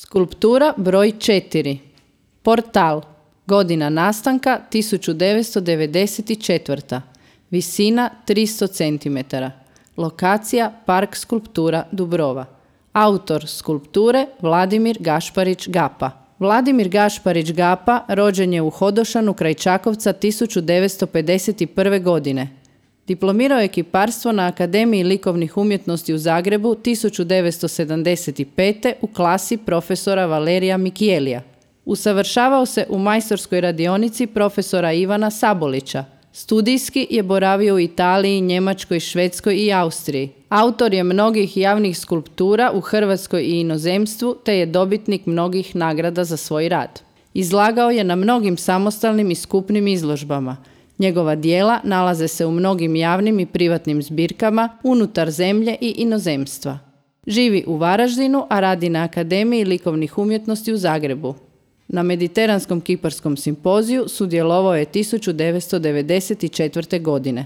Skulptura broj 4. Portal. Godina nastanka 1994. Visina 300 cm. Lokacija Park skulptura Dubrova. Autor skulpture Vladimir Gašparić Gapa. Vladimir Gašparić Gapa rođen je u Hodošanu kraj Čakovca 1951. godine. Diplomirao je kiparstvo na Akademiji likovnih umjetnosti u Zagrebu 1975. u klasi profesora Valerija Mikijelija. Usavršavao se u majstorskoj radionici profesora Ivana Sabolića. Studijski je boravio u Italiji, Njemačkoj, Švedskoj i Austriji. Autor je mnogih javnih skulptura u Hrvatskoj i inozemstvu, te je dobitnik mnogih nagrada za svoj rad. Izlagao je na mnogim samostalnim i skupnim izložbama. Njegova djela nalaze se u mnogim javnim i privatnim zbirkama unutar zemlje i inozemstva. Živi u Varaždinu, a radi na Akademiji likovnih umjetnosti u Zagrebu. Na Mediteranskom kiparskom simpoziju sudjelovao je 1994. godine.